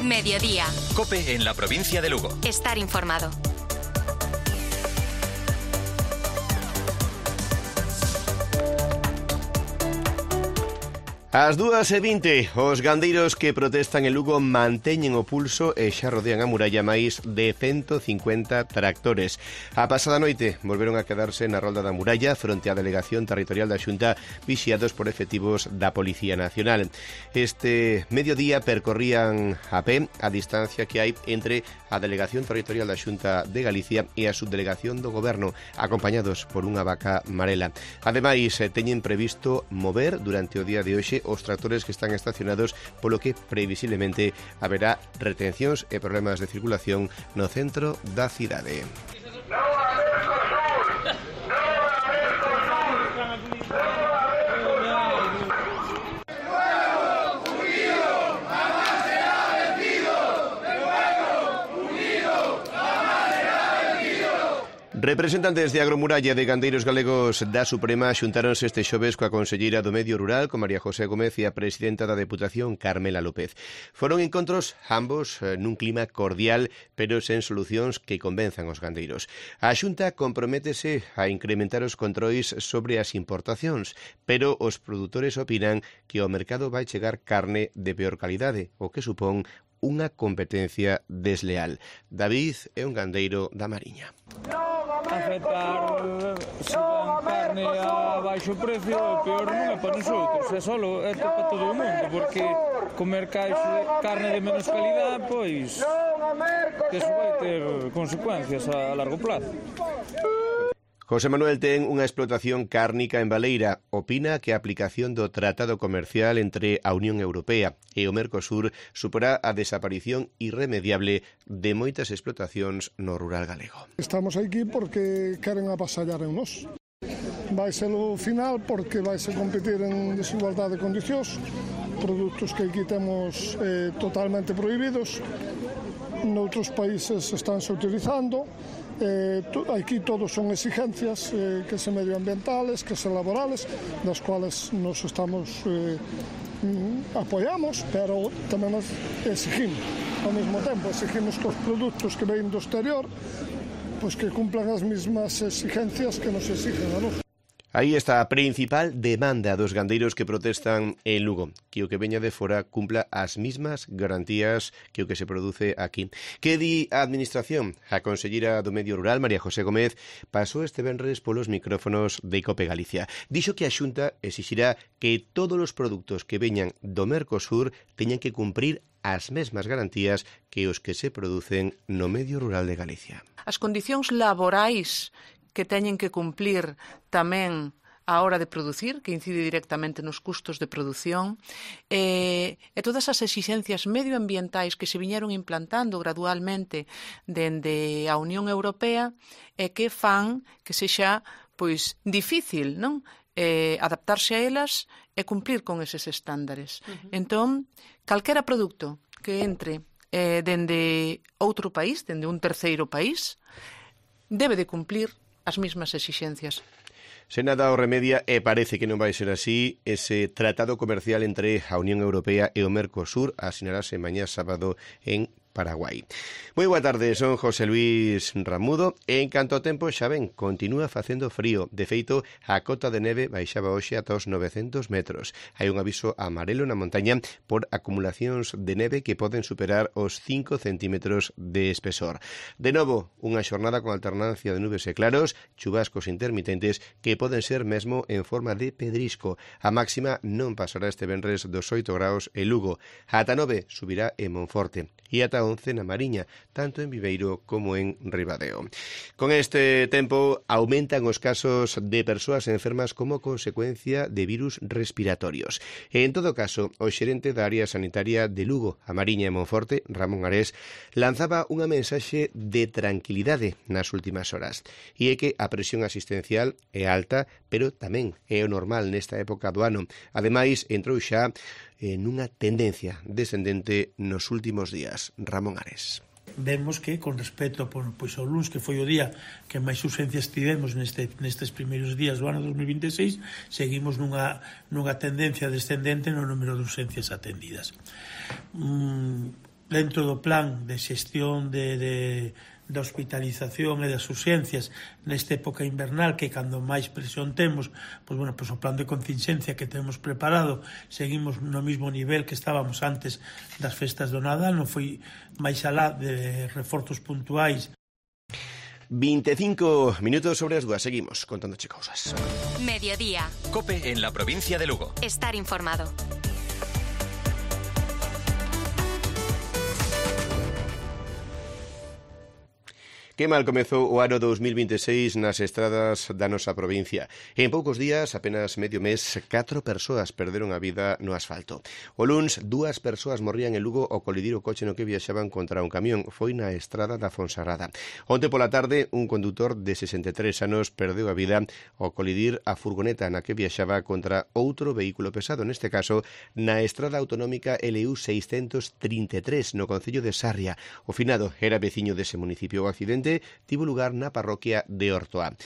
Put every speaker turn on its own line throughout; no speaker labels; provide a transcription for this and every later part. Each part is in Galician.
Mediodía.
COPE en la provincia de Lugo.
Estar informado.
Ás 2:20, os gandeiros que protestan en Lugo manteñen o pulso e xa rodean a muralla máis de 150 tractores. A pasada noite volveron a quedarse na rolda da muralla fronte á delegación territorial da Xunta, vixiados por efectivos da Policía Nacional. Este mediodía percorrían a pé a distancia que hai entre a delegación territorial da Xunta de Galicia e a subdelegación do Goberno, acompañados por unha vaca marela. Ademais, teñen previsto mover durante o día de hoxe os tractores que están estacionados, polo que previsiblemente haberá retencións e problemas de circulación no centro da cidade. Representantes de Agromuralla de gandeiros galegos da Suprema xuntáronse este xoves coa conselleira do Medio Rural, con María José Gómez, e a presidenta da Deputación, Carmela López. Foron encontros ambos nun clima cordial, pero sen solucións que convenzan os gandeiros. A Xunta comprométese a incrementar os controis sobre as importacións, pero os produtores opinan que ao mercado vai chegar carne de peor calidade, o que supón unha competencia desleal. David é un gandeiro da Mariña.
Afectar se dan carne a baixo precio, o peor non é para nosotros, é solo é para todo o mundo, porque comer carne de menos calidad, pois que iso vai ter consecuencias a largo plazo.
José Manuel ten unha explotación cárnica en Baleira. Opina que a aplicación do Tratado Comercial entre a Unión Europea e o Mercosur suporá a desaparición irremediable de moitas explotacións no rural galego.
Estamos aquí porque queren avasallar en nós. Vai ser o final porque vai se competir en desigualdade de condicións, produtos que aquí temos totalmente prohibidos, noutros países estánse utilizando. Aquí todos son exigencias que se medioambientales, que se laborales, das cuales nos estamos apoiamos, pero tamén nos exigimos ao mesmo tempo, exigimos que os produtos que ven do exterior pois que cumplan as mesmas exigencias que nos exigen a nós.
Aí está a principal demanda dos gandeiros que protestan en Lugo, que o que veña de fora cumpla as mismas garantías que o que se produce aquí. Que di a Administración? A conselleira do Medio Rural, María José Gómez, pasou este venres polos micrófonos de COPE Galicia. Dixo que a Xunta exixirá que todos os produtos que veñan do Mercosur teñan que cumprir as mesmas garantías que os que se producen no Medio Rural de Galicia.
As condicións laborais que teñen que cumplir tamén a hora de producir, que incide directamente nos custos de produción, e todas as exixencias medioambientais que se viñeron implantando gradualmente dende a Unión Europea e que fan que sexa pois difícil, non? Adaptarse a elas e cumplir con eses estándares. Entón, calquera produto que entre dende outro país, dende un terceiro país, debe de cumplir as mesmas exixencias.
Se nada o remedia, e parece que non vai ser así, ese tratado comercial entre a Unión Europea e o Mercosur asinarase mañá sábado en Paraguai. Moi boa tarde, son José Luis Ramudo. En canto ao tempo, xa ven, continúa facendo frío. De feito, a cota de neve baixaba hoxe ata os 900 metros. Hai un aviso amarelo na montaña por acumulacións de neve que poden superar os 5 centímetros de espesor. De novo, unha xornada con alternancia de nubes e claros, chubascos intermitentes que poden ser mesmo en forma de pedrisco. A máxima non pasará este venres dos 8 graus en Lugo. Ata 9 subirá en Monforte e ata 11 na Mariña, tanto en Viveiro como en Ribadeo. Con este tempo aumentan os casos de persoas enfermas como consecuencia de virus respiratorios. En todo caso, o xerente da área sanitaria de Lugo, a Mariña e Monforte, Ramón Ares, lanzaba unha mensaxe de tranquilidade nas últimas horas. E é que a presión asistencial é alta, pero tamén é o normal nesta época do ano. Ademais, entrou xa nunha tendencia descendente nos últimos días. Ramón Ares.
Vemos que, con respecto pois, ao luns, que foi o día que máis urxencias tivemos nestes primeiros días do ano 2026, seguimos nunha tendencia descendente no número de urxencias atendidas. dentro do plan de xestión da hospitalización e das urxencias nesta época invernal, que cando máis presión temos, pois bueno, pois o plan de contingencia que temos preparado, seguimos no mismo nivel que estábamos antes das festas do Nadal, non foi máis alá de reforzos puntuais.
25 minutos sobre as 2, seguimos contándoche cousas.
Mediodía. COPE en la provincia de Lugo.
Estar informado.
Que mal comezou o ano 2026 nas estradas da nosa provincia. En poucos días, apenas medio mes, 4 persoas perderon a vida no asfalto. O luns, 2 persoas morrían en Lugo ao colidir o coche no que viaxaban contra un camión. Foi na estrada da Fonsagrada. Onte pola tarde, un condutor de 63 anos perdeu a vida ao colidir a furgoneta na que viaxaba contra outro vehículo pesado, neste caso, na estrada autonómica LU 633, no concello de Sarria. O finado era veciño dese municipio. O accidente tivo lugar na parroquia de Ortoa.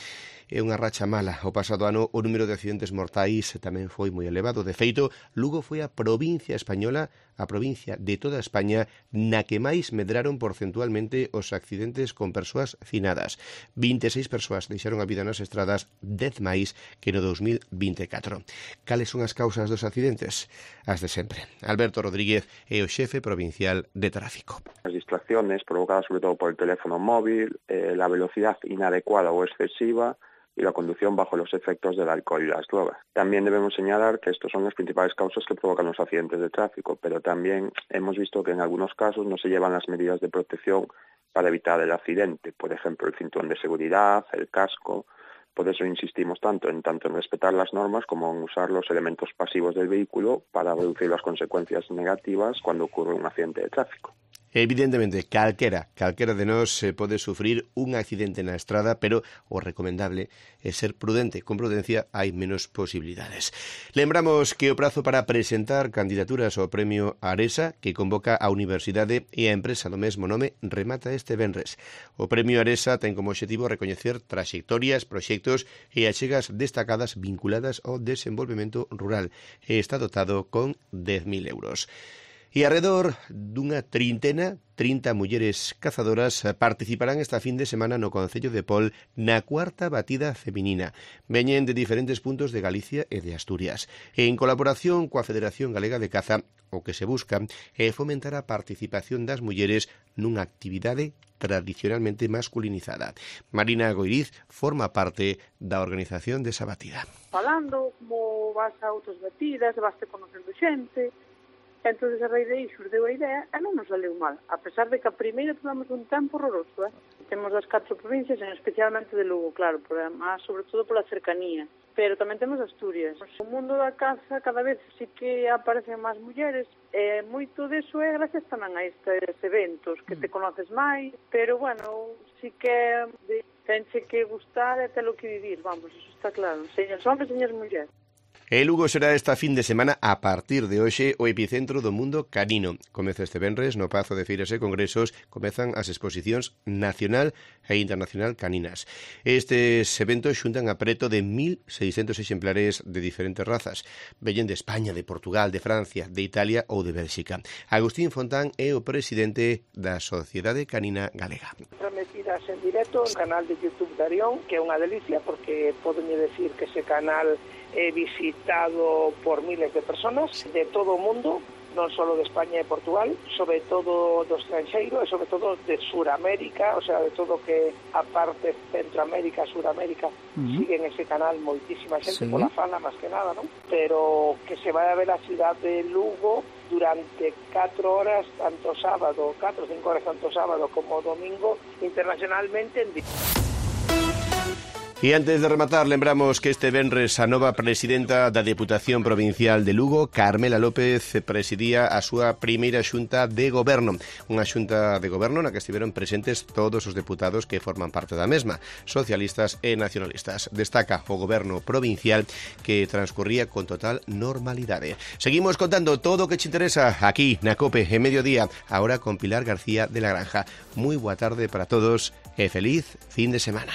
É unha racha mala. O pasado ano o número de accidentes mortais tamén foi moi elevado. De feito, Lugo foi a provincia española, a provincia de toda España, na que máis medraron porcentualmente os accidentes con persoas finadas. 26 persoas deixaron a vida nas estradas, 10 máis que no 2024. Cales son as causas dos accidentes? As de sempre. Alberto Rodríguez é o xefe provincial de tráfico.
Las distracciones provocadas sobre todo por el teléfono móvil, la velocidad inadecuada o excesiva y la conducción bajo los efectos del alcohol y las drogas. También debemos señalar que estos son las principales causas que provocan los accidentes de tráfico, pero también hemos visto que en algunos casos no se llevan las medidas de protección para evitar el accidente, por ejemplo el cinturón de seguridad, el casco. Por eso insistimos tanto en respetar las normas como en usar los elementos pasivos del vehículo para reducir las consecuencias negativas cuando ocurre un accidente de tráfico.
Evidentemente, calquera de nós pode sufrir un accidente na estrada, pero o recomendable é ser prudente. Con prudencia hai menos posibilidades. Lembramos que o prazo para presentar candidaturas ao premio Aresa, que convoca a Universidade e a empresa do mesmo nome, remata este venres. O premio Aresa ten como obxectivo recoñecer traxectorias, proxectos e achegas destacadas vinculadas ao desenvolvemento rural e está dotado con 10.000 euros. E alrededor dunha 30 mulleres cazadoras participarán esta fin de semana no concello de Pol na cuarta batida feminina. Veñen de diferentes puntos de Galicia e de Asturias. En colaboración coa Federación Galega de Caza, o que se busca é fomentar a participación das mulleres nunha actividade tradicionalmente masculinizada. Marina Goiriz forma parte da organización desa batida.
Falando como vas a outras batidas, vas conocendo xente. Entón, a raíz de aí xurdeu a idea e non nos saleu mal, a pesar de que a primeira tivemos un tempo horroroso. Temos das 4 provincias, especialmente de Lugo, claro, sobre todo pola cercanía, pero tamén temos Asturias. O mundo da caza cada vez sí que aparecen máis mulleres, e moito deso é gracias tamén a estes eventos, que te conoces máis, pero, bueno, sí que tenche que gustar e telo que vivir, vamos, eso está claro, señores hombres, señores mulleres.
E Lugo será esta fin de semana, a partir de hoxe, o epicentro do mundo canino. Comeza este venres, no Pazo de Feiras e Congresos, comezan as exposicións nacional e internacional caninas. Estes eventos xuntan a preto de 1.600 exemplares de diferentes razas. Veñen de España, de Portugal, de Francia, de Italia ou de Bélxica. Agustín Fontán é o presidente da Sociedade Canina Galega.
Transmitidas en directo no canal de YouTube de Arión, que é unha delicia, porque poden decir que ese canal é visitado por miles de personas de todo o mundo, non só de España e Portugal, sobre todo do estranxeiro e sobre todo de Suramérica, o sea, de todo que a parte Centroamérica, Suramérica, siguen ese canal moitísima xente, pola fala máis que nada, non? Pero que se vai a ver a cidade de Lugo durante 4 horas, tanto sábado, 4 ou 5 horas, tanto sábado como domingo, internacionalmente en directo.
E antes de rematar, lembramos que este venres a nova presidenta da Deputación Provincial de Lugo, Carmela López, presidía a súa primeira xunta de goberno. Unha xunta de goberno na que estiveron presentes todos os deputados que forman parte da mesma, socialistas e nacionalistas. Destaca o goberno provincial que transcurría con total normalidade. Seguimos contando todo o que te interesa aquí na COPE en Mediodía, ahora con Pilar García de la Granja. Moi boa tarde para todos e feliz fin de semana.